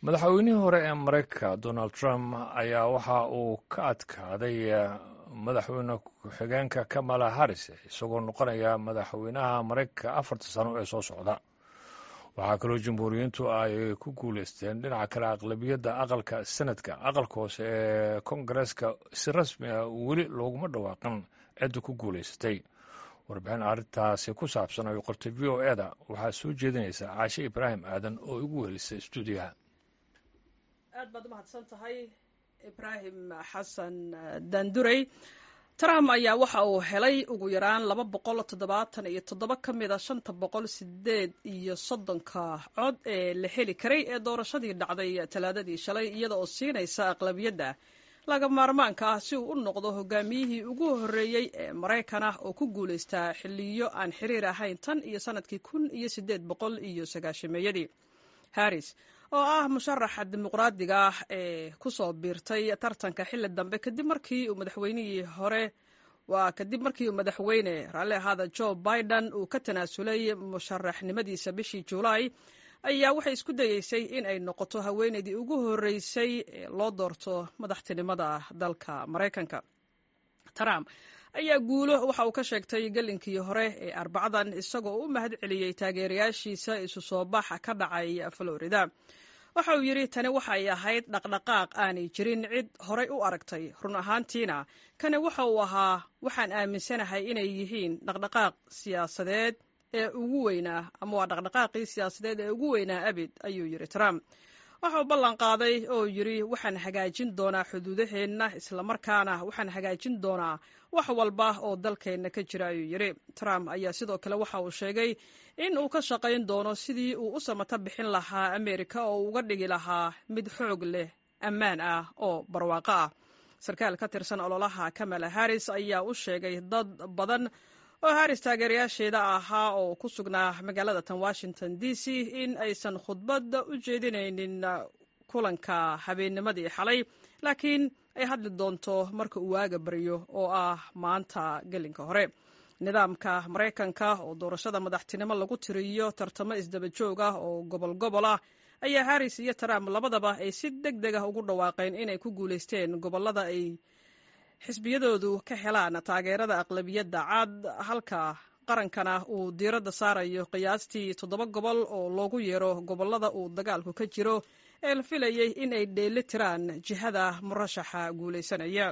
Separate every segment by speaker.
Speaker 1: Madaxweynihii hore ee Maraykanka Donald Trump ayaa waxa uu ka adkaaday madaxweyne ku-xigeenka Kamala Harris, isagoo noqonaya madaxweynaha Maraykanka 4-ta sano ee soo socda. Waxaa kaloo Jamhuuriyiintu ay ku guuleysteen dhinaca kale aqlabiyadda aqalka Senadka. Aqalka hoose ee Kongareeska si rasmi ah weli looguma dhawaaqin cidda ku guuleysatay. Warbixin arrintaasi ku saabsan ay qortay VOA-da waxaa soo jeedinaysa Caashe Ibraahim Aadan oo igu wehelisay stuudiyaha.
Speaker 2: Aad baad umahadsan tahay, Ibraahim Xasan Daandurey. Trump ayaa waxa uu helay ugu yaraan 277 ka mida 538-ka cod ee la heli karay ee doorashadii dhacday Talaadadii shalay, iyada oo siinaysa aqlabiyadda laga maarmaanka ah si uu u noqdo hogaamiyihii ugu horreeyey ee Maraykan ah oo ku guulaystaa xilliyo aan xiriir ahayn tan iyo sanadkii 1890-meeyadii. Harris oo ah musharaxa Dimuqraadiga ah ee kusoo biirtay tartanka xilli dambe kadib markii uu madaxweynihii hore, waa kadib markii uu madaxweyne, raalli ahaada, Joe Biden uu ka tanaasulay musharaxnimadiisa bishii Juulaay, ayaa waxay isku dayeysay in ay noqoto haweeneydii ugu horreysay ee loo doorto madaxtinimada dalka Maraykanka. Trump ayaa guulo waxa uu ka sheegtay gelinkii hore ee Arbacadan, isagoo u mahad celiyey taageerayaashiisa isu soo baxa ka dhacay Florida. Waxa uu yidhi, "Tani waxay ahayd dhaqdhaqaaq aanay jirin cid horay u aragtay. Run ahaantiina kani waxa uu ahaa, waxaan aaminsanahay inay yihiin dhaqdhaqaaq siyaasadeed ee ugu weynaa, ama waa dhaqdhaqaaqii siyaasadeed ee ugu weynaa abid," ayuu yidhi Trump. Waxa uu ballan qaaday oo yidhi, "Waxaan hagaajin doonaa xuduudaheenna, islamarkaana waxaan hagaajin doonaa wax walba oo dalkeenna ka jira," ayuu yidhi. Trump ayaa sidoo kale waxa uu sheegay in uu ka shaqayn doono sidii uu u samata bixin lahaa Ameerika oo uga dhigi lahaa mid xoog leh, ammaan ah oo barwaaqo ah. Sarkaal ka tirsan ololaha Kamala Harris ayaa u sheegay dad badan oo Harris taageerayaasheeda ahaa oo ku sugnaa magaalada tan Washington DC in aysan khudbadda u jeedinaynin kulanka habeennimadii xalay, laakiin ay hadli doonto marka uu waaga baryo oo ah maanta gelinka hore. Nidaamka Maraykanka oo doorashada madaxtinimo lagu tiriyo tartamo isdaba joog ah oo gobol gobol ah ayaa Harris iyo Trump labadaba ay si deg deg ah ugu dhawaaqeen inay ku guulaysteen gobollada ay xisbiyadoodu ka helaan taageerada aqlabiyadda cad, halka qarankana uu diiradda saarayo qiyaastii toddoba gobol oo loogu yeero gobollada uu dagaalku ka jiro ee la filayey in ay dheeli tiraan jihada murashaxa guulaysanaya.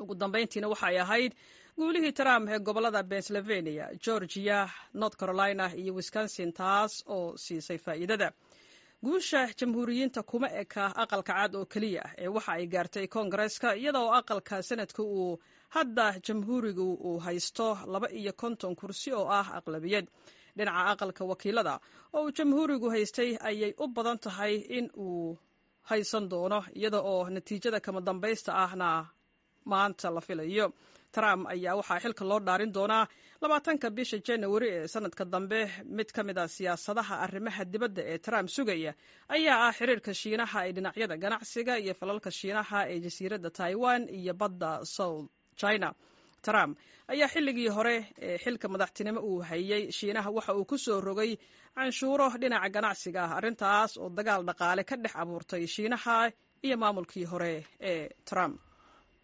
Speaker 2: Ugu dambayntiina waxay ahayd guulihii Trump ee gobollada Pennsylvania, Georgia, North Carolina iyo Wisconsin taas oo siisay faa'iidada. Guusha Jamhuuriyiinta kuma eka Aqalka Cad oo keliya ee waxa ay gaartay Koongareeska, iyada oo aqalka Sanadka uu hadda Jamhuurigu uu haysto 52 kursi oo ah aqlabiyad. Dhinaca Aqalka Wakiilada oo uu Jamhuurigu haystay ayay u badan tahay in uu haysan doono, iyada oo natiijada kama dambaysta ahna maanta la filayo. Trump ayaa waxaa xilka loo dhaarin doonaa 20-ka bisha Januari ee sanadka dambe. Mid ka mid a siyaasadaha arrimaha dibadda ee Trump sugaya ayaa ah xiriirka Shiinaha ee dhinacyada ganacsiga iyo falalka Shiinaha ee jasiiradda Taiwan iyo badda South China. Trump ayaa xilligii hore ee xilka madaxtinimo uu hayey Shiinaha waxa uu ku soo rogay canshuuro dhinaca ganacsiga ah, arrintaas oo dagaal dhaqaale ka dhex abuurtay Shiinaha iyo maamulkii hore ee Trump.